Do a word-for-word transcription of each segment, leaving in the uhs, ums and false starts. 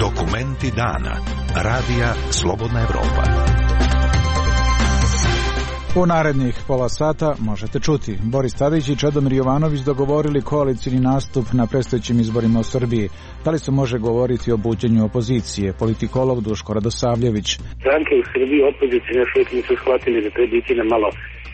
Dokumenti dana. Radija Slobodna Evropa. U narednih pola sata možete čuti. Boris Tadić i Čedomir Jovanović dogovorili koalicijni nastup na predstojećim izborima u Srbiji. Da li se može govoriti o buđenju opozicije? Politikolog Duško Radosavljević. Stranke u Srbiji opozicije još uvijek nisu shvatili da treba biti na malo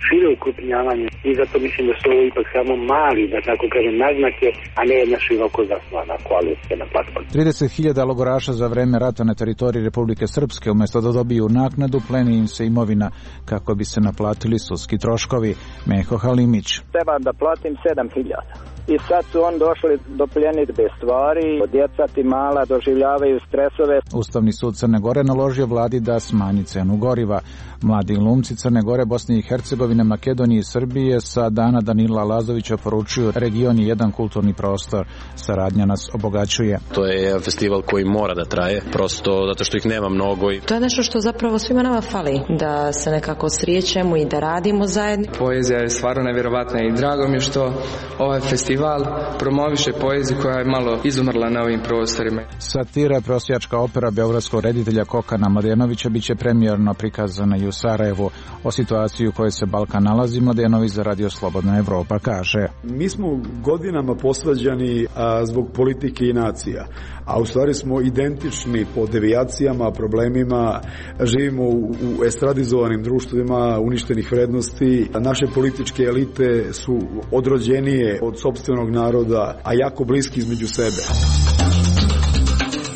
šire ukrupnjavanje i zato mislim da su ovo ipak samo mali, da tako kažem, naznake, a ne jedna široko zasnovana koalicija na platformi. trideset hiljada logoraša za vreme rata na teritoriji Republike Srpske, umjesto da dobiju naknadu, pleni im se imovina kako bi se naplatili sudski troškovi. Meho Halimić. Treba da platim sedam hiljada. I sad su on došli do pljenidbe stvari, djeca ti mala doživljavaju stresove. Ustavni sud Crne Gore naložio vladi da smanji cenu goriva. Mladi glumci Crne Gore, Bosne i Hercegovine, Makedonije i Srbije sa dana Danila Lazovića poručuju: region je jedan kulturni prostor, saradnja nas obogaćuje. To je jedan festival koji mora da traje, prosto zato što ih nema mnogo. I... To je nešto što zapravo svima nama fali, da se nekako srijećemo i da radimo zajedno. Poezija je stvarno nevjerovatna i drago mi je što ovaj festival promoviše poeziju koja je malo izumrla na ovim prostorima. Satira, prosjačka opera beogradskog reditelja Kokana Mladenovića biće premijerno prikazana i u Sarajevu. O situaciji u kojoj se Balkan nalazi, Mladenović za Radio Slobodna Evropa kaže: mi smo godinama posvađani a, zbog politike i nacija, a u stvari smo identični po devijacijama, problemima, živimo u, u estradizovanim društvima uništenih vrednosti. Naše političke elite su odrođenije od sopstvenog naroda, a jako bliski između sebe.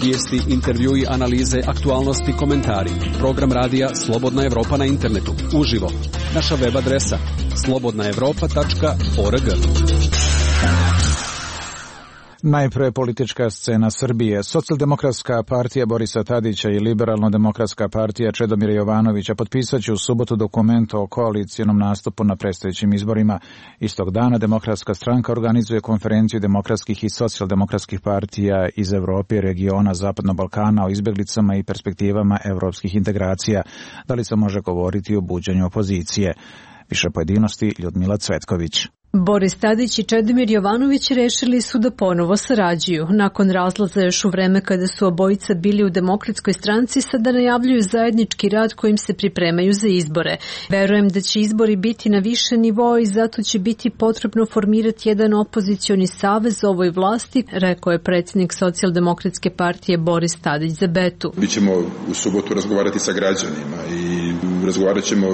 Vijesti, intervjui, analize, aktualnosti, komentari. Program radija Slobodna Evropa na internetu. Uživo. Naša web adresa slobodna evropa tačka org. Najpre politička scena Srbije. Socijaldemokratska partija Borisa Tadića i Liberalno-demokratska partija Čedomira Jovanovića potpisat će u subotu dokument o koalicijonom nastupu na predstojećim izborima. Istog dana Demokratska stranka organizuje konferenciju demokratskih i socijaldemokratskih partija iz Evrope i regiona Zapadnog Balkana o izbjeglicama i perspektivama evropskih integracija. Da li se može govoriti o buđenju opozicije? Više pojedinosti Ljudmila Cvetković. Boris Tadić i Čedomir Jovanović rešili su da ponovo sarađuju. Nakon razlaza još u vreme kada su obojica bili u Demokratskoj stranci, sada najavljuju zajednički rad kojim se pripremaju za izbore. Verujem da će izbori biti na više nivoa i zato će biti potrebno formirati jedan opozicioni savez ovoj vlasti, rekao je predsjednik Socijaldemokratske partije Boris Tadić za Betu. Mi ćemo u subotu razgovarati sa građanima i razgovarat ćemo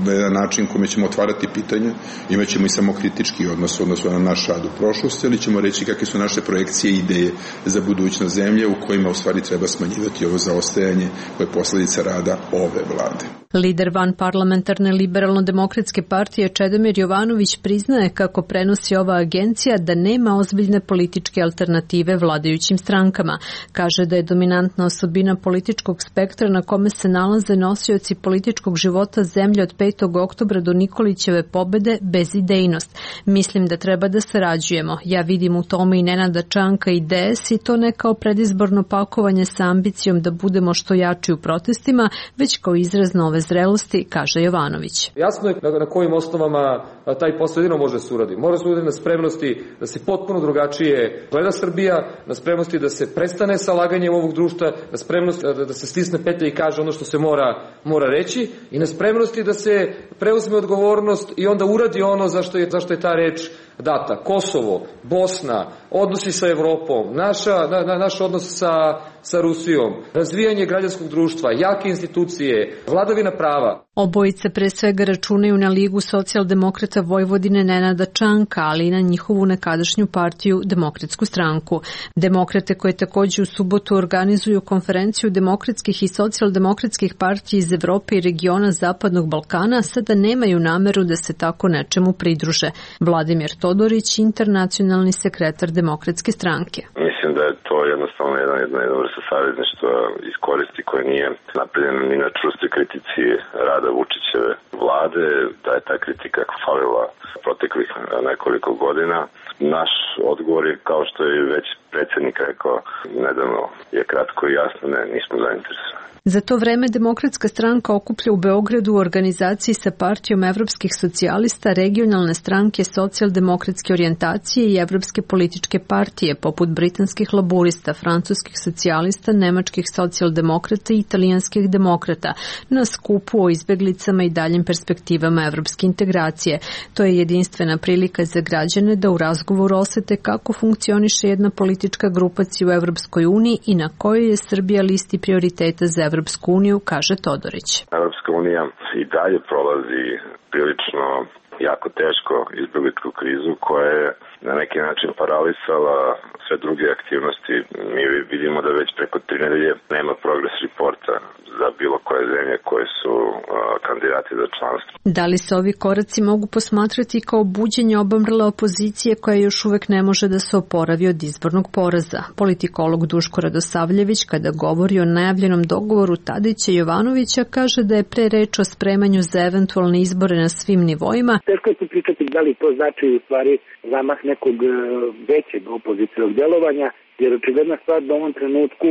na jedan način kojim ćemo otvarati pitanja, imat ćemo i samokritički odnos odnosno na naš rad u prošlosti, ali ćemo reći kakve su naše projekcije i ideje za budućnost zemlje u kojima u stvari treba smanjivati ovo zaostajanje koje je posljedica rada ove vlade. Lider vanparlamentarne Liberalno-demokratske partije Čedomir Jovanović priznaje, kako prenosi ova agencija, da nema ozbiljne političke alternative vladajućim strankama. Kaže da je dominantna osobina političkog spektra na kome se nalaze nosioci političkog života zemlje od petog oktobra do Nikolićeve pobede bezidejnost. Mislim da treba da sarađujemo. Ja vidim u tome i Nenada Čanka i D S i to ne kao predizborno pakovanje sa ambicijom da budemo što jači u protestima, već kao izraz nove zrelosti, kaže Jovanović. Jasno je na kojim osnovama taj posao jedino može da se uradi. Mora se uradi na spremnosti da se potpuno drugačije gleda Srbija, na spremnosti da se prestane sa laganjem ovog društva, na spremnosti da se stisne petlja i kaže ono što se mora, mora reći i na spremnosti da se preuzme odgovornost i onda uradi ono zašto je, zašto je ta reč data. Kosovo, Bosna, odnosi sa Evropom, naša, na, na, naš odnos sa, sa Rusijom, razvijanje građanskog društva, jake institucije, vladavina prava. Obojice pre svega računaju na Ligu socijaldemokrata Vojvodine Nenada Čanka, ali i na njihovu nekadašnju partiju Demokratsku stranku. Demokrate koje također u subotu organizuju konferenciju demokratskih i socijaldemokratskih partija iz Evrope i regiona Zapadnog Balkana sada nemaju nameru da se tako nečemu pridruže. Vladimir Todorić, internacionalni sekretar Demokratske stranke. Mislim da je to jednostavno jedna, jedna, jedna vrsta savezništva iz koristi koja nije napravljena ni na čvrstoj kritici rada Vučićeve vlade, da je ta kritika falila proteklih nekoliko godina. Naš odgovor je, kao što je već predsjednik rekao nedavno, je kratko i jasno, ne, nismo zainteresovani. Za to vreme Demokratska stranka okuplja u Beogradu u organizaciji sa Partijom evropskih socijalista regionalne stranke socijaldemokratske orijentacije i evropske političke partije, poput britanskih laburista, francuskih socijalista, nemačkih socijaldemokrata i italijanskih demokrata, na skupu o izbeglicama i daljim perspektivama evropske integracije. To je jedinstvena prilika za građane da u razgovoru osete kako funkcioniše jedna politička grupacija u Evropskoj uniji i na kojoj je Srbija listi prioriteta za Evropsku uniju, kaže Todorić. Evropska unija i dalje prolazi prilično jako teško izbegličku krizu koja je na neki način paralisala sve druge aktivnosti. Mi vidimo da već preko tri nedelje nema progress reporta za bilo koje zemlje koje su uh, kandidati za članstvo. Da li se ovi koraci mogu posmatrati kao buđenje obamrle opozicije koja još uvek ne može da se oporavi od izbornog poraza? Politikolog Duško Radosavljević, kada govori o najavljenom dogovoru Tadića i Jovanovića, kaže da je pre reč o spremanju za eventualne izbore na svim nivoima. Teško je pričati da li to znači u stvari zamah nekog većeg opozicijnog djelovanja, jer očigledna stvar da u ovom trenutku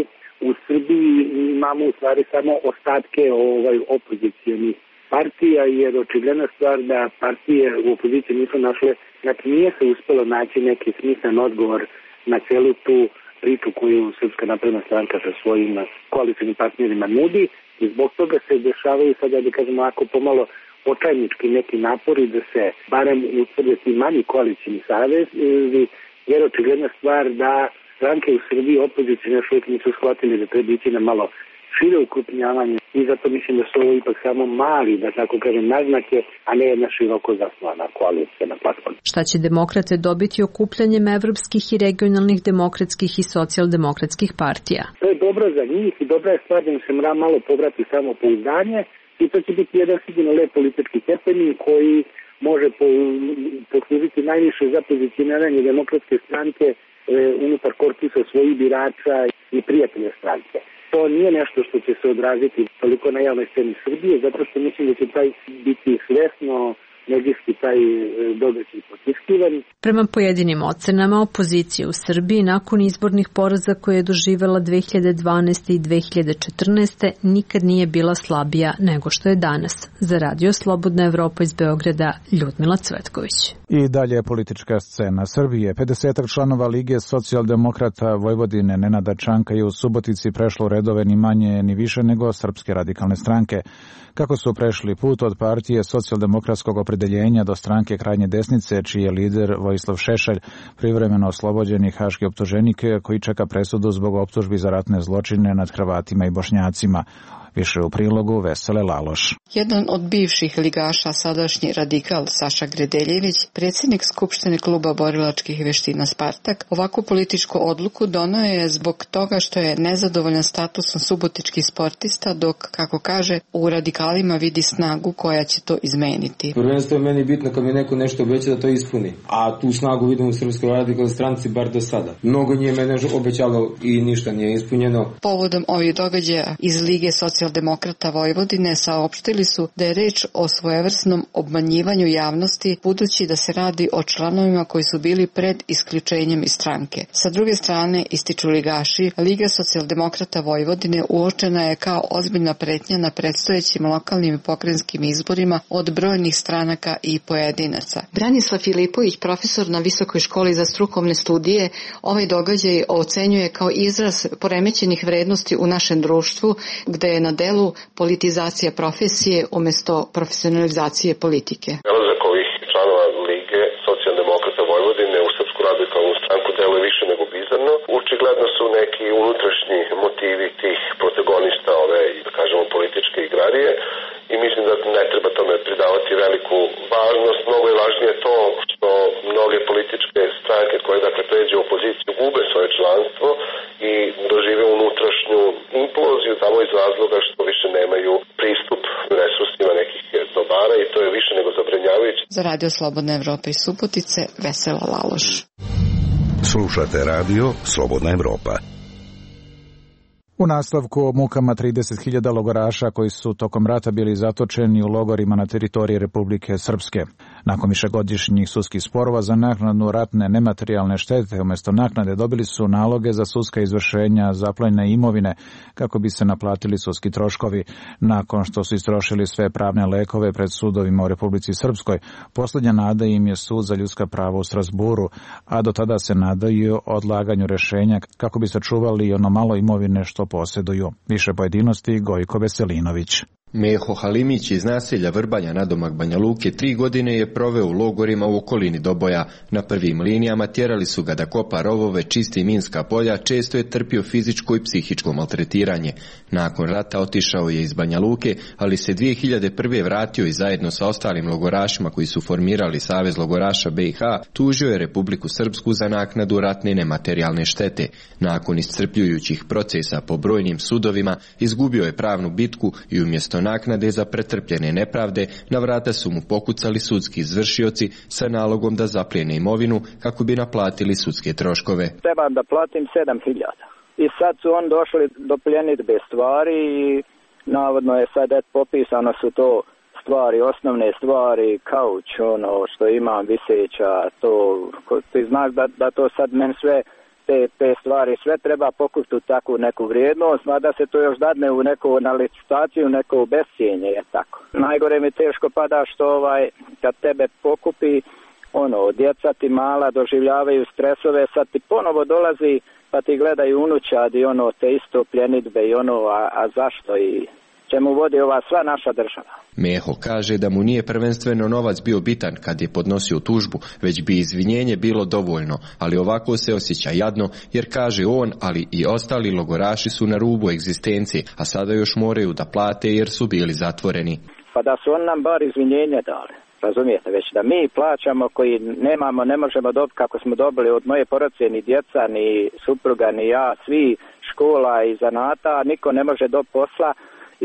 u Srbiji imamo u stvari samo ostatke ovaj opozicijonih partija, jer očigledna stvar da partije u opoziciji nisu našle, znači nije se uspelo naći neki smislen odgovor na celu tu priču koju Srpska napredna stranka sa svojim koalicijnim partnerima nudi i zbog toga se dešavaju sada, da kažemo, ako pomalo očajnički neki napori da se barem utvrde ti manji koalicijni savez, jer očigledna stvar da stranke u Srbiji opozicije još uvijek nisu shvatili da treba ići na malo šire ukrupnjavanje i zato mislim da su ovo ipak samo mali, da tako kažem, naznake, a ne jedna široko zasnovana koalicija na platformi. Šta će demokrate dobiti okupljanjem evropskih i regionalnih demokratskih i socijaldemokratskih partija? To je dobro za njih i dobra je stvar da im se mora malo povrati samo pouzdanje i to će biti jedan sigurno lep politički stepenik koji može poslužiti najviše za pozicioniranje demokratske stranke unutar korpusa svojih birača i prijatelja stranke. To nije nešto što će se odraziti toliko na javnoj sceni Srbije, zato što mislim da će taj biti svesno medijski taj događaj potiskivan. Prema pojedinim ocenama, opozicija u Srbiji nakon izbornih poraza koje je doživela dve hiljade dvanaeste. i dve hiljade četrnaeste. nikad nije bila slabija nego što je danas. Za Radio Slobodna Evropa iz Beograda, Ljudmila Cvetković. I dalje politička scena Srbije. pedesetak članova Lige socijaldemokrata Vojvodine Nenada Čanka je u Subotici prešlo redove ni manje ni više nego Srpske radikalne stranke. Kako su prešli put od partije socijaldemokratskog opredeljenja do stranke krajnje desnice, čiji je lider Vojislav Šešelj, privremeno oslobođeni haški optuženik koji čeka presudu zbog optužbi za ratne zločine nad Hrvatima i Bošnjacima. Više u prilogu Vesele Laloš. Jedan od bivših ligaša, sadašnji radikal Saša Gredeljević, predsjednik Skupštine kluba borilačkih veština Spartak, ovakvu političku odluku doneo je zbog toga što je nezadovoljan statusom subotičkih sportista, dok, kako kaže, u radikalima vidi snagu koja će to izmeniti. Prvenstvo je meni bitno kad mi neko nešto obeća da to ispuni, a tu snagu vidim u Srpskoj radikalnoj stranci bar do sada. Mnogo nije mene obećalo i ništa nije ispunjeno. Povodom ovih događaja iz Lige socijaldemokrata Vojvodine saopštili su da je reč o svojevrsnom obmanjivanju javnosti, budući da se radi o članovima koji su bili pred isključenjem iz stranke. Sa druge strane, ističu ligaši, Liga socijaldemokrata Vojvodine uočena je kao ozbiljna pretnja na predstojećim lokalnim i pokrajinskim izborima od brojnih stranaka i pojedinaca. Branislav Filipović, profesor na Visokoj školi za strukovne studije, ovaj događaj ocenjuje kao izraz poremećenih vrednosti u našem društvu, gde je na delu politizacija profesije umjesto profesionalizacije politike. Dolazak ovih članova Lige socijaldemokrata Vojvodine u Srpsku radikalnu stranku deluje više nego bizarno. Očigledno su neki unutrašnji motivi tih protagonista ove, da kažemo, političke igrarije i mislim da ne treba tome pridavati veliku važnost. Mnogo je važnije to što mnoge političke stranke koje dakle pređe u opoziciju gube svoje članstvo i dožive unutrašnju imploziju tamo iz razloga što više nemaju pristup resursima nekih dobara i to je više nego zabrinjavajuće. Za Radio Slobodna Evropa iz Subotice, Vesela Laloš. Slušate Radio Slobodna Evropa. U nastavku o mukama trideset hiljada logoraša koji su tokom rata bili zatočeni u logorima na teritoriji Republike Srpske. Nakon višegodišnjih sudskih sporova za naknadu ratne nematerijalne štete, umjesto naknade dobili su naloge za sudska izvršenja zaplenjene imovine kako bi se naplatili sudski troškovi. Nakon što su istrošili sve pravne lekove pred sudovima u Republici Srpskoj, posljednja nada im je sud za ljudska prava u Strasburu, a do tada se nadaju odlaganju rešenja kako bi sačuvali ono malo imovine što posjeduju. Više pojedinosti Gojko Veselinović. Meho Halimić iz naselja Vrbanja nadomak Banja Luke tri godine je proveo u logorima u okolini Doboja. Na prvim linijama tjerali su ga da kopa rovove, čisti minska polja, često je trpio fizičko i psihičko maltretiranje. Nakon rata otišao je iz Banja Luke, ali se dvije hiljade prve vratio i zajedno sa ostalim logorašima koji su formirali Savez logoraša B i H tužio je Republiku Srpsku za naknadu ratne nematerijalne štete. Nakon iscrpljujućih procesa po brojnim sudovima izgubio je pravnu bitku i umjesto naknade za pretrpljene nepravde na vrata su mu pokucali sudski izvršioci sa nalogom da zaplijene imovinu kako bi naplatili sudske troškove. Trebam da platim sedam hiljada. I sad su on došli do pljenidbe stvari i navodno je sad et popisano su to stvari, osnovne stvari, kauč, ono što imam viseća, to, ti znaš da, da to sad men sve Te, te stvari sve treba pokupiti u takvu neku vrijednost, mada se to još dadne u neku na licitaciju, neko bescijenje, je tako. Najgore mi teško pada što ovaj, kad tebe pokupi, ono, djeca ti mala doživljavaju stresove, sad ti ponovo dolazi pa ti gledaju unučad i ono, te isto pljenidbe i ono, a, a zašto i čemu vodi ova sva naša država. Meho kaže da mu nije prvenstveno novac bio bitan kad je podnosio tužbu, već bi izvinjenje bilo dovoljno, ali ovako se osjeća jadno jer kaže on, ali i ostali logoraši su na rubu egzistencije, a sada još moraju da plate jer su bili zatvoreni. Pa da su on nam bar izvinjenje dali. Razumijete, već da mi plaćamo koji nemamo, ne možemo dobiti kako smo dobili od moje porodice, ni djeca, ni supruga, ni ja, svi škola i zanata, niko ne može dobiti posla.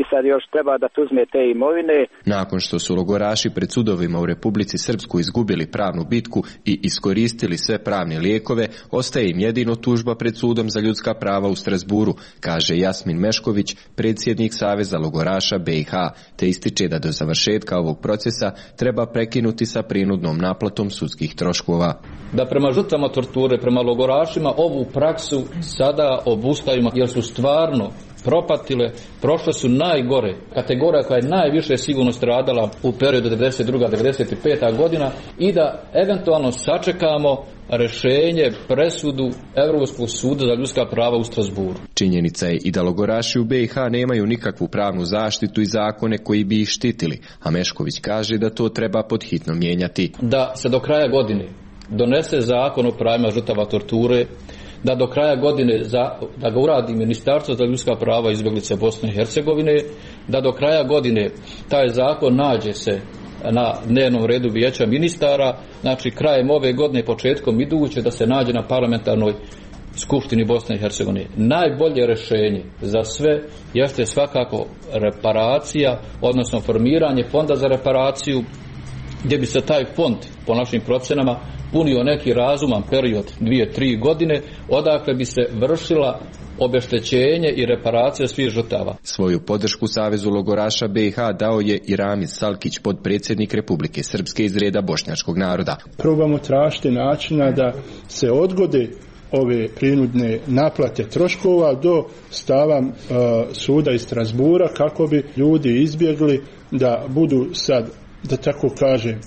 I sad još treba da tuzme te imovine. Nakon što su logoraši pred sudovima u Republici Srpskoj izgubili pravnu bitku i iskoristili sve pravne lijekove, ostaje im jedino tužba pred sudom za ljudska prava u Strasburu, kaže Jasmin Mešković, predsjednik Saveza logoraša B i H, te ističe da do završetka ovog procesa treba prekinuti sa prinudnom naplatom sudskih troškova. Da prema žrtvama torture, prema logorašima ovu praksu sada obustavimo jer su stvarno propatile, prošle su najgore, kategorija koja je najviše sigurno stradala u periodu devedeset druga do devedeset peta godina i da eventualno sačekamo rešenje, presudu Europskog suda za ljudska prava u Strasburu. Činjenica je i da logoraši u B i H nemaju nikakvu pravnu zaštitu i zakone koji bi ih štitili, a Mešković kaže da to treba podhitno mijenjati. Da se do kraja godine donese zakon o pravima žrtava torture, da do kraja godine za, da ga uradi Ministarstvo za ljudska prava i izbjeglice Bosne i Hercegovine, da do kraja godine taj zakon nađe se na dnevnom redu vijeća ministara, znači krajem ove godine, početkom iduće, da se nađe na parlamentarnoj Skupštini Bosne i Hercegovine. Najbolje rješenje za sve jeste svakako reparacija, odnosno formiranje fonda za reparaciju, gdje bi se taj fond, po našim procenama, punio neki razuman period dvije, tri godine, odakle bi se vršila obeštećenje i reparacija svih žrtava. Svoju podršku Savezu logoraša B i H dao je i Ramiz Salkić, podpredsjednik Republike Srpske iz reda bošnjačkog naroda. Probamo tražiti načina da se odgode ove prinudne naplate troškova do stava uh, suda iz Strasbura kako bi ljudi izbjegli da budu sad, da tako kažem,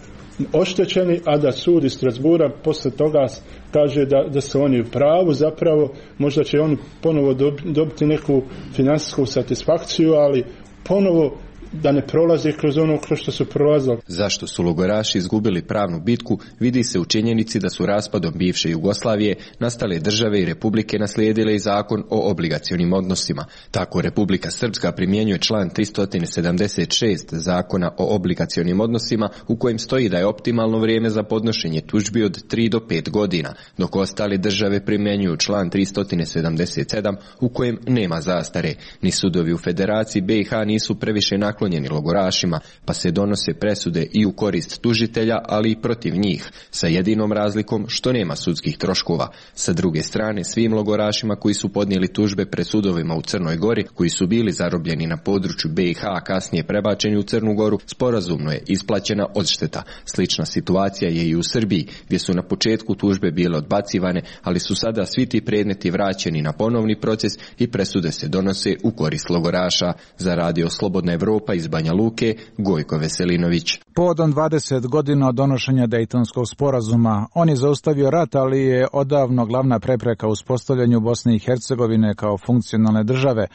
oštećeni, a da sud iz Strasbura posle toga kaže da, da su oni u pravu, zapravo možda će oni ponovo dobiti neku finansijsku satisfakciju, ali ponovo da ne prolaze kroz ono kroz što su prolazili. Zašto su logoraši izgubili pravnu bitku vidi se u činjenici da su raspadom bivše Jugoslavije nastale države i republike naslijedile i zakon o obligacionim odnosima. Tako Republika Srpska primjenjuje član tristo sedamdeset šest zakona o obligacionim odnosima u kojem stoji da je optimalno vrijeme za podnošenje tužbi od tri do pet godina, dok ostale države primjenjuju član tristo sedamdeset sedam u kojem nema zastare. Ni sudovi u Federaciji B i H nisu previše naklonosti naklonjeni logorašima, pa se donose presude i u korist tužitelja, ali i protiv njih, sa jedinom razlikom što nema sudskih troškova. Sa druge strane, svim logorašima koji su podnijeli tužbe pred sudovima u Crnoj Gori, koji su bili zarobljeni na području B i H, a kasnije prebačeni u Crnu Goru, sporazumno je isplaćena odšteta. Slična situacija je i u Srbiji, gdje su na početku tužbe bile odbacivane, ali su sada svi ti predmeti vraćeni na ponovni proces i presude se donose u korist logoraša. Za Radio Slobodna Evropa iz Banja Luke, Gojko Veselinović. Povodom dvadeset godina od donošenja Dejtonskog sporazuma, on je zaustavio rat, ali je odavno glavna prepreka uspostavljanju Bosne i Hercegovine kao funkcionalne države,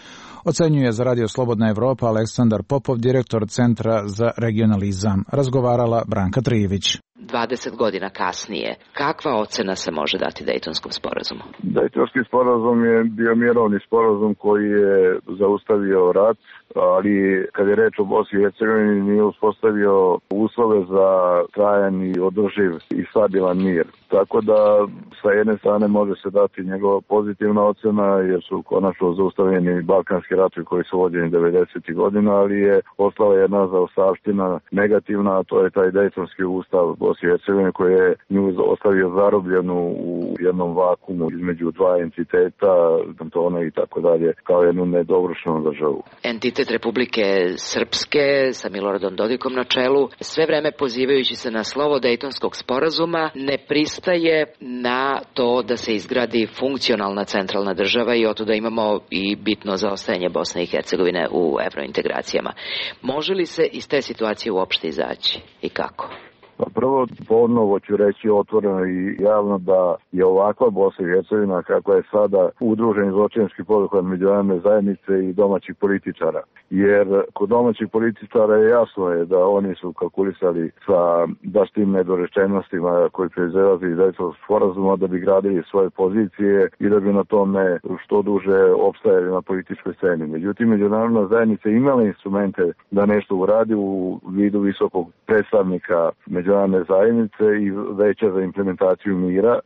ocenjuje za Radio Slobodna Evropa Aleksandar Popov, direktor Centra za regionalizam. Razgovarala Branka Trijević. dvadeset godina kasnije, kakva ocena se može dati Dejtonskom sporazumu? Dejtonski sporazum je bio mirovni sporazum koji je zaustavio rat, ali kad je reč o Bosni i Hercegovini nije uspostavio uslove za trajan i održiv i stabilan mir. Tako da sa jedne strane može se dati njegova pozitivna ocena jer su konačno zaustavljeni balkanski ratovi koji su vođeni devedesetih godina, ali je ostala jedna zaostavština negativna, a to je taj Dejtonski ustav Bosne i Hercegovine koji je nju ostavio zarobljenu u jednom vakumu između dva entiteta, kantona i tako dalje, kao jednu nedovršenu državu. Entitet Republike Srpske sa Miloradom Dodikom na čelu, sve vreme pozivajući se na slovo Dejtonskog sporazuma, ne pristaje na to da se izgradi funkcionalna centralna država i oto da imamo i bitno zaostajanje Bosne i Hercegovine u evrointegracijama. Može li se iz te situacije uopšte izaći i kako? Pa prvo, ponovo ću reći otvoreno i javno da je ovakva Bosna i Hercegovina kakva je sada udruženi zločinački poduhvat međunarodne zajednice i domaćih političara. Jer kod domaćih političara je jasno je da oni su kalkulisali sa baš tim nedorečenostima koji proizilaze iz Dejtonskog sporazuma da bi gradili svoje pozicije i da bi na tome što duže opstajali na političkoj sceni. Međutim, međunarodna zajednica imala instrumente da nešto uradi u vidu visokog predstavnika međunarodne zajednice i veća za implementaciju mira.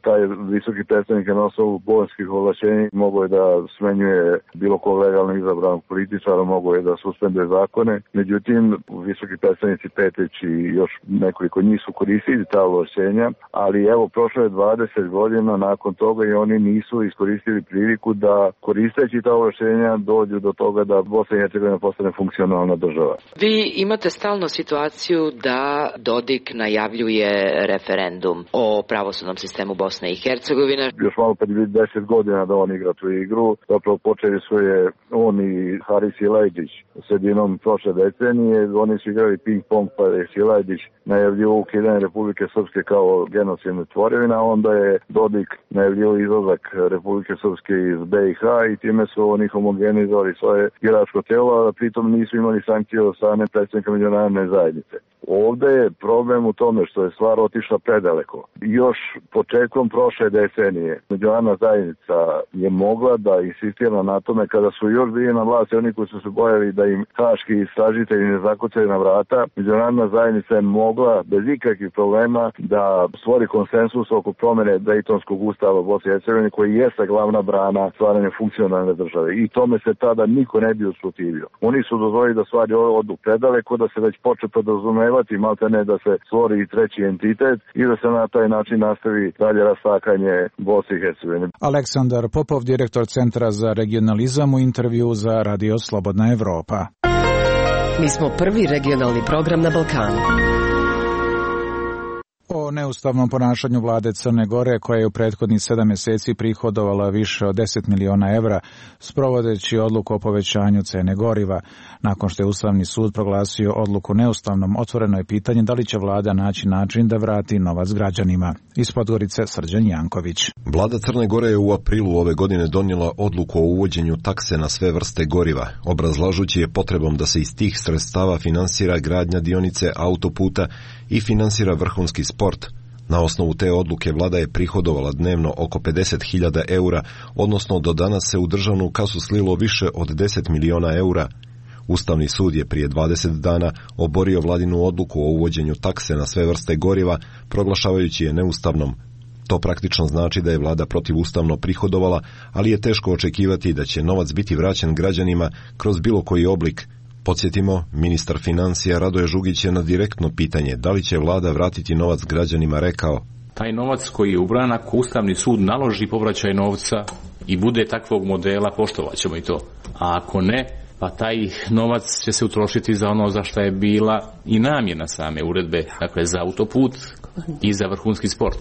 Taj visoki predstavnik je na osnovu bolonskih ovlašćenja mogao je da smenjuje bilo ko legalno izabranog političara, mogao je da suspenduje zakone. Međutim, visoki predstavnici Petrić i još nekoliko njih su koristili ta ovlašćenja, ali evo, prošlo je dvadeset godina nakon toga i oni nisu iskoristili priliku da koristeći ta ovlašćenja dođu do toga da Bosna i Hercegovina postane funkcionalna država. Vi imate stalno situaciju da Dodik najavljuje referendum o pravosudnom sistemu Bosne i Hercegovine. Još malo pred deset godina da on igra tu igru. Zapravo počeli su je on i Haris Silajđić sredinom prošle decenije. Oni su igrali ping-pong pa je Silajđić najavljivao ukidanje Republike Srpske kao genocidne tvorevine, a onda je Dodik najavljivao izlazak Republike Srpske iz B i H i time su oni homogenizovali svoje igračko telo, a pritom nisu imali sankcije od strane predstavnika međunarodne zajednice. Ovde je problem u tome što je stvar otišla predaleko. Još početkom prošle decenije međunarodna zajednica je mogla da insistira na tome kada su još bili na vlasti oni koji su se bojali da im haški istražitelji ne zakucaju na vrata. Međunarodna zajednica je mogla bez ikakvih problema da stvori konsensus oko promene Dejtonskog ustava Bosne i Hercegovine koji jeste glavna brana stvaranja funkcionalne države. I tome se tada niko ne bi usprotivio. Oni su dozvolili da stvari odu predaleko, da se već poče podrazumevati malte ne da se stvori i treći entitet i da se na taj način nastavi dalje rastakanje Bosne i Hercegovine. Aleksandar Popov, direktor Centra za regionalizam, u intervju za Radio Slobodna Evropa. Mi smo prvi regionalni program na Balkanu. O neustavnom ponašanju vlade Crne Gore, koja je u prethodnih sedam mjeseci prihodovala više od deset miliona evra, sprovodeći odluku o povećanju cene goriva. Nakon što je Ustavni sud proglasio odluku neustavnom, otvoreno je pitanje da li će vlada naći način da vrati novac građanima. Iz Podgorice, Srđan Janković. Vlada Crne Gore je u aprilu ove godine donijela odluku o uvođenju takse na sve vrste goriva, obrazlažući je potrebom da se iz tih sredstava finansira gradnja dionice autoputa i finansira vrhunski sport. Na osnovu te odluke vlada je prihodovala dnevno oko pedeset hiljada eura, odnosno do danas se u državnu kasu slilo više od deset miliona eura. Ustavni sud je prije dvadeset dana oborio vladinu odluku o uvođenju takse na sve vrste goriva, proglašavajući je neustavnom. To praktično znači da je vlada protivustavno prihodovala, ali je teško očekivati da će novac biti vraćen građanima kroz bilo koji oblik. Podsjetimo, ministar financija Radoje Žugić je na direktno pitanje da li će vlada vratiti novac građanima rekao: taj novac koji je ubran, ako Ustavni sud naloži povraćaj novca i bude takvog modela, poštovat ćemo i to. A ako ne, pa taj novac će se utrošiti za ono za što je bila i namjena same uredbe, dakle za autoput i za vrhunski sport.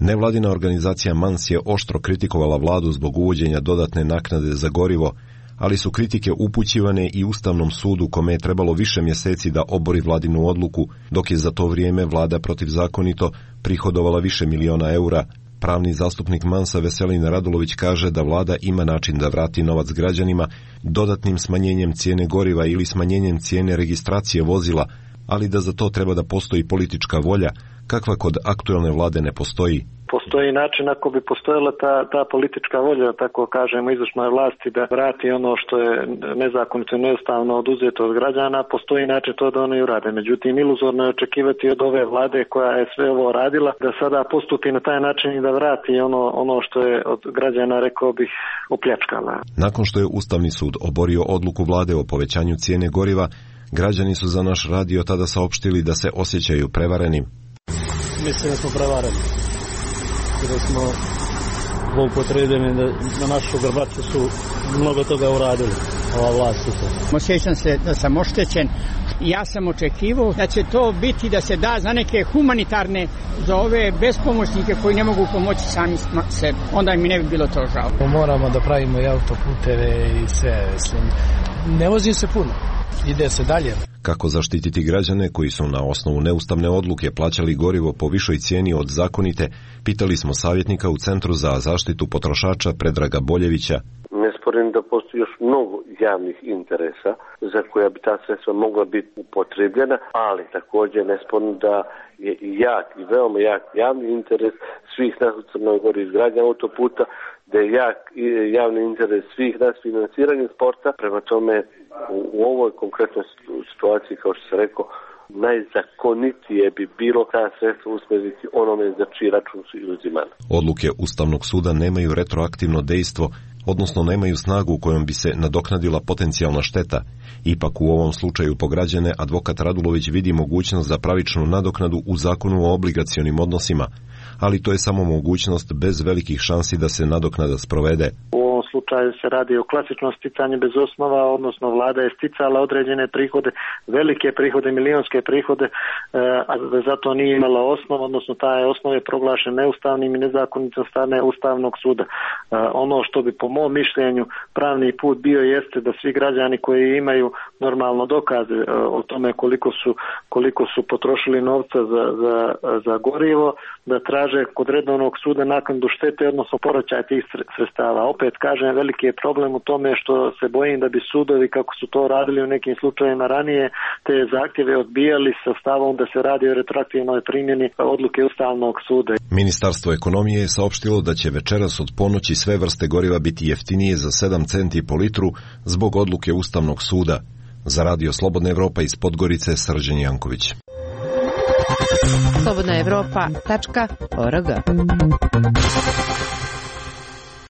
Nevladina organizacija Mans je oštro kritikovala vladu zbog uvođenja dodatne naknade za gorivo, ali su kritike upućivane i Ustavnom sudu kome je trebalo više mjeseci da obori vladinu odluku, dok je za to vrijeme vlada protivzakonito prihodovala više miliona eura. Pravni zastupnik Mansa Veselin Radulović kaže da vlada ima način da vrati novac građanima dodatnim smanjenjem cijene goriva ili smanjenjem cijene registracije vozila, ali da za to treba da postoji politička volja, kakva kod aktuelne vlade ne postoji. Postoji način ako bi postojala ta, ta politička volja, tako kažemo, izvršnoj vlasti da vrati ono što je nezakonito i neustavno oduzeto od građana, postoji način to da oni urade. Međutim, iluzorno je očekivati od ove vlade koja je sve ovo radila da sada postupi na taj način i da vrati ono, ono što je od građana, rekao bih, opljačkala. Nakon što je Ustavni sud oborio odluku vlade o povećanju cijene goriva, građani su za naš radio tada saopštili da se osjećaju prevarenim. Mislim da smo prevareni. Da smo zloupotrebljeni, da na našu grbaču su mnogo toga uradili, ova vlast. Osjećam se da sam oštećen. Ja sam očekivao da će to biti da se da za neke humanitarne, za ove bespomoćnike koji ne mogu pomoći sami sebi. Onda mi ne bi bilo to žao. Moramo da pravimo i autoputeve i sve. Mislim. Ne vozim se puno. Ide se dalje. Kako zaštititi građane koji su na osnovu neustavne odluke plaćali gorivo po višoj cijeni od zakonite, pitali smo savjetnika u Centru za zaštitu potrošača Predraga Boljevića. Ne sporim da postoji još mnogo javnih interesa za koja bi ta sredstva mogla biti upotrebljena, ali također ne sporim da je jak i veoma jak javni interes svih nas u Crnoj Gori izgradnja autoputa, da je jak javni interes svih nas financiranje sporta. Prema tome, u, u ovoj konkretnoj situaciji, kao što sam rekao, najzakonitije bi bilo ta sredstva usmjeriti onome za čiji račun su uzimane. Odluke Ustavnog suda nemaju retroaktivno dejstvo, odnosno nemaju snagu kojom bi se nadoknadila potencijalna šteta. Ipak u ovom slučaju po građane advokat Radulović vidi mogućnost za pravičnu nadoknadu u zakonu o obligacionim odnosima, ali to je samo mogućnost bez velikih šansi da se nadoknada sprovede. U ovom slučaju se radi o klasičnom sticanju bez osnova, odnosno vlada je sticala određene prihode, velike prihode, milionske prihode, a zato nije imala osnov, odnosno taj osnov je proglašen neustavnim i nezakonitim od strane Ustavnog suda. Ono što bi po mom mišljenju pravni put bio jeste da svi građani koji imaju normalno dokaze o tome koliko su, koliko su potrošili novca za, za, za gorivo, da traže kod redovnog suda naknadu štete, odnosno povraćaj tih sredstava. Opet kažem, veliki je problem u tome što se bojim da bi sudovi, kako su to radili u nekim slučajevima ranije, te zahtjeve odbijali sa stavom da se radi o retroaktivnoj primjeni odluke Ustavnog suda. Ministarstvo ekonomije je saopštilo da će večeras od ponoći sve vrste goriva biti jeftinije za sedam centi po litru zbog odluke Ustavnog suda. Za radio Slobodna Evropa iz Podgorice, Srđan Janković. slobodna evropa tačka org.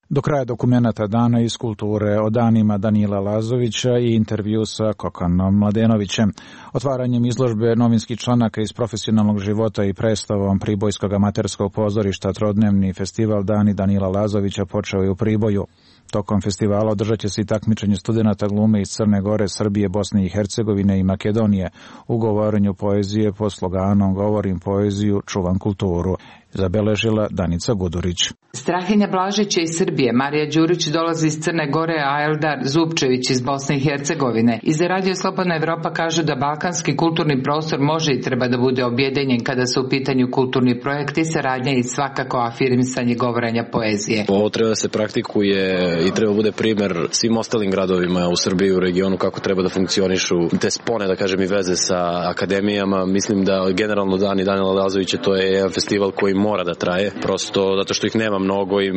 Do kraja dokumenata Dana iz kulture o danima Danila Lazovića i intervju sa Kokanom Mladenovićem. Otvaranjem izložbe novinskih članaka iz profesionalnog života i predstavom Pribojskog amaterskog pozorišta trodnevni festival Dani Danila Lazovića počeo je u Priboju. Tokom festivala održat će se i takmičenje studenata glume iz Crne Gore, Srbije, Bosne i Hercegovine i Makedonije u govorenju poezije pod sloganom Govorim poeziju, čuvam kulturu, zabeležila Danica Gudurić. Strahinja Blažića iz Srbije, Marija Đurić dolazi iz Crne Gore, a Eldar Zupčević iz Bosne i Hercegovine. I za Radio Slobodna Evropa kažu da balkanski kulturni prostor može i treba da bude objedinjen kada su u pitanju kulturni projekti, saradnja i svakako afirmisanje govorenja poezije. Ovo treba da se praktikuje i treba bude primer svim ostalim gradovima u Srbiji i u regionu kako treba da funkcionišu te spone, da kažem, i veze sa akademijama. Mislim da generalno Dani Danila Lazovića to je jedan festival koji mora da traje, prosto zato što ih nema mnogo i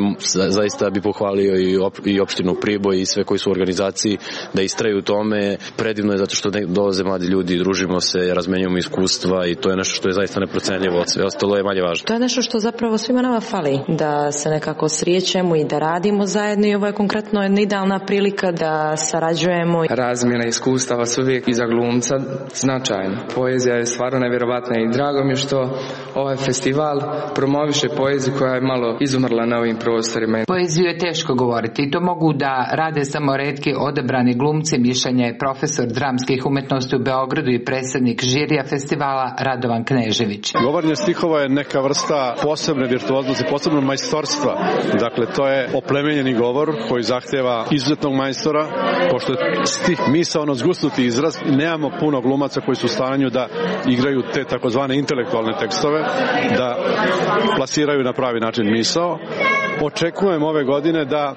zaista bi pohvalio i, op, i opštinu Priboj i sve koji su u organizaciji da istraju u tome. Predivno je zato što dolaze mladi ljudi, družimo se, razmenjujemo iskustva i to je nešto što je zaista neprocenljivo, sve ostalo je manje važno. To je nešto što zapravo svima nama fali, da se nekako srijećemo i da radimo zajedno i ovo je konkretno jedna idealna prilika da sarađujemo. Razmjena iskustava su uvijek i za glumca značajna. Poezija je stvarno nevjerovatna i drago mi je što ovaj festival promoviše poeziju koja je malo izumrla na ovim prostorima. Poeziju je teško govoriti i to mogu da rade samo retki odabrani glumci, mišljenja je profesor dramskih umetnosti u Beogradu i predsjednik žirija festivala Radovan Knežević. Govorenje stihova je neka vrsta posebne virtuoznosti, posebnog majstorstva. Dakle, to je oplemenjeni govor koji zahtjeva izuzetnog majstora, pošto je stih misaono zgusnuti izraz, nemamo puno glumaca koji su u stanju da igraju te takozvane intelektualne tekstove, da plasiraju na pravi način misao. Očekujem ove godine da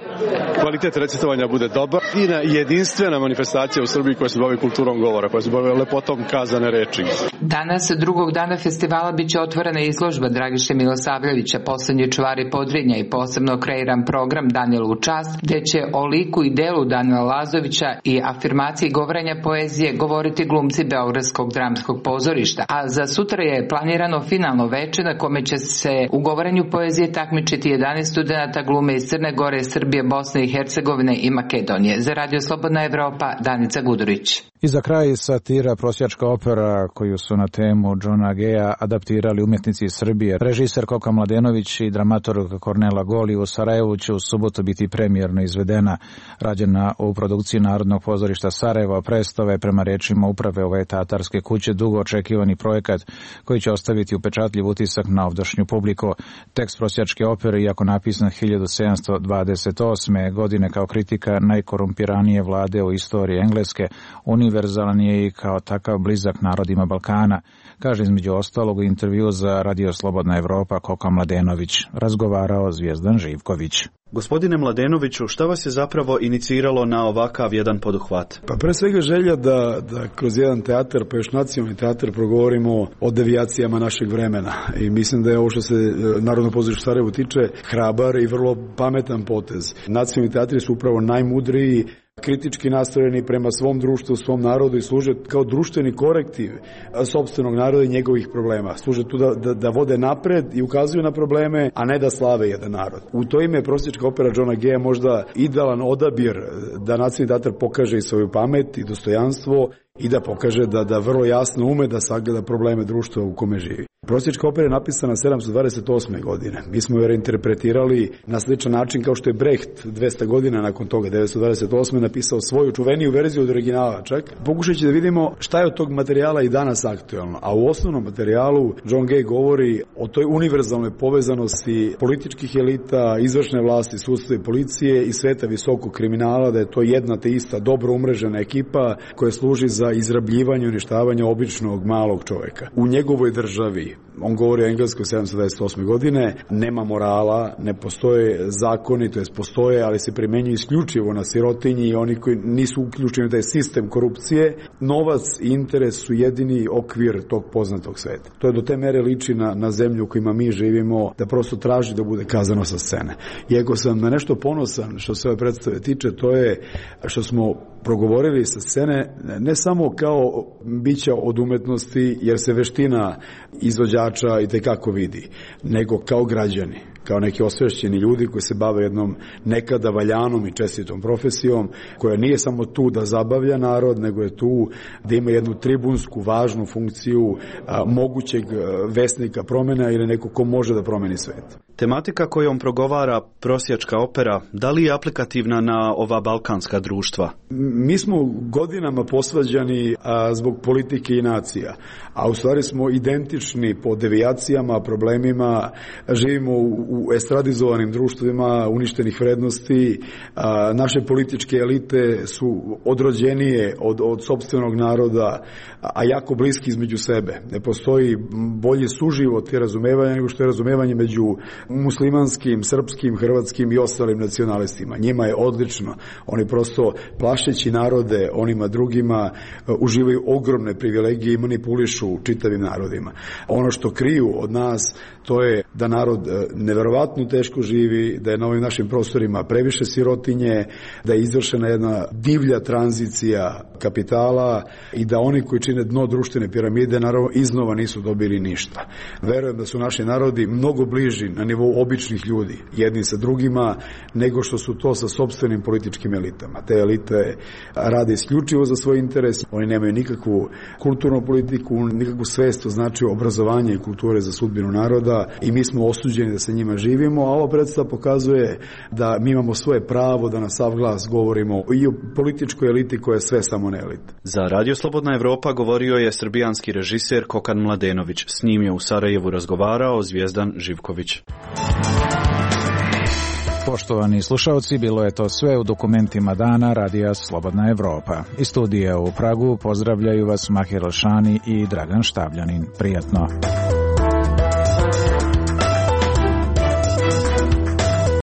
kvalitet recitovanja bude dobar i na jedinstvena manifestacija u Srbiji koja se bavi kulturom govora, koja se bavi lepotom kazane reči. Danas, drugog dana festivala, bit će otvorena izložba Dragiše Milosavljevića, Poslednji čuvari Podrinja i posebno kreiran program Danijelu u čast, gde će o liku i delu Danila Lazovića i afirmaciji govorenja poezije govoriti glumci Beogradskog dramskog pozorišta. A za sutra je planirano finalno veče na kome će se u govorenju poezije takmičiti jedanaest studenata glume iz Crne Gore, Srbije, Bosne i Hercegovine i Makedonije. Za Radio Slobodna Evropa, Danica Gudurić. I za kraj satira Prosjačka opera koju su na temu Johna Geja adaptirali umjetnici iz Srbije. Režiser Koka Mladenović i dramaturg Kornela Goli u Sarajevu će u subotu biti premijerno izvedena. Rađena u produkciji Narodnog pozorišta Sarajevo, predstava je prema rečima uprave ove teatarske kuće dugo očekivani projekat koji će ostaviti upečatljiv utisak na ovdašnju publiku. Tekst Prosjačke opere, iako napisan hiljadu sedamsto dvadeset osme. godine kao kritika najkorumpiranije vlade u istoriji Engleske, univerzalan je i kao takav blizak narodima Balkana, kaže između ostalog u intervju za Radio Slobodna Evropa Koka Mladenović. Razgovarao Zvijezdan Živković. Gospodine Mladenoviću, šta vas je zapravo iniciralo na ovakav jedan poduhvat? Pa pre svega želja da, da kroz jedan teatar, pa još nacionalni teatar, progovorimo o devijacijama našeg vremena. I mislim da je ovo što se Narodno pozorište Sarajevo tiče hrabar i vrlo pametan potez. Nacionalni teatri su upravo najmudriji, kritički nastrojeni prema svom društvu, svom narodu i služe kao društveni korektiv sopstvenog naroda i njegovih problema. Služe tu da, da, da vode napred i ukazuju na probleme, a ne da slave jedan narod. U to ime Prosjačka opera Johna Geja možda idealan odabir da nacionalni teatar pokaže i svoju pamet i dostojanstvo i da pokaže da, da vrlo jasno ume da sagleda probleme društva u kome živi. Prosjačka opera je napisana sedamsto dvadeset osme. godine. Mi smo je reinterpretirali na sličan način kao što je Brecht dvesta godina nakon toga, devetsto dvadeset osme. napisao svoju čuveniju verziju od originala čak. Pokušajući da vidimo šta je od tog materijala i danas aktuelno. A u osnovnom materijalu John Gay govori o toj univerzalnoj povezanosti političkih elita, izvršne vlasti, sudstva i policije i sveta visokog kriminala, da je to jedna te ista dobro umrežena ekipa koja služi za izrabljivanje i uništavanje običnog malog čoveka. U njegovoj državi, on govori o Engleskoj sedamsto dvadeset osme. godine, nema morala, ne postoje zakoni, to jest postoje, ali se primenjuju isključivo na sirotinji i oni koji nisu uključeni u taj sistem korupcije. Novac i interes su jedini okvir tog poznatog sveta. To je do te mere liči na, na zemlju u kojima mi živimo, da prosto traži da bude kazano sa scene. I ako sam na nešto ponosan što se ove predstave tiče, to je što smo progovorili sa scene ne samo kao bića od umetnosti, jer se veština izvođača i tekako vidi, nego kao građani, kao neki osvešćeni ljudi koji se bave jednom nekada valjanom i čestitom profesijom, koja nije samo tu da zabavlja narod, nego je tu da ima jednu tribunsku važnu funkciju a, mogućeg vesnika promjena ili neko ko može da promeni svet. Tematika kojom progovara Prosjačka opera, da li je aplikativna na ova balkanska društva? Mi smo godinama posvađani a, zbog politike i nacija, a u stvari smo identični po devijacijama, problemima, živimo u, u estradizovanim društvima uništenih vrednosti, a, naše političke elite su odrođenije od, od sopstvenog naroda, a jako bliski između sebe. Ne postoji bolji suživot i razumevanje nego što je razumevanje među muslimanskim, srpskim, hrvatskim i ostalim nacionalistima. Njima je odlično. Oni prosto plašeći narode onima drugima uživaju ogromne privilegije i manipulišu čitavim narodima. Ono što kriju od nas to je da narod neverovatno teško živi, da je na ovim našim prostorima previše sirotinje, da je izvršena jedna divlja tranzicija kapitala i da oni koji čine dno društvene piramide naravno iznova nisu dobili ništa. Verujem da su naši narodi mnogo bliži na nivou običnih ljudi, jedni sa drugima, nego što su to sa sopstvenim političkim elitama. Te elite rade isključivo za svoj interes, oni nemaju nikakvu kulturnu politiku, nikakvu svest o značaju obrazovanja i kulture za sudbinu naroda i mi smo osuđeni da sa njima živimo, a ova predstava pokazuje da mi imamo svoje pravo da na sav glas govorimo i o političkoj eliti koja je sve samo ne elita. Za Radio Slobodna Evropa govorio je srbijanski režiser Kokan Mladenović. S njim je u Sarajevu razgovarao Zvijezdan Živković. Poštovani slušalci, bilo je to sve u dokumentima dana Radija Slobodna Evropa. Iz studija u Pragu pozdravljaju vas Mahir Alšani i Dragan Štavljanin. Prijatno.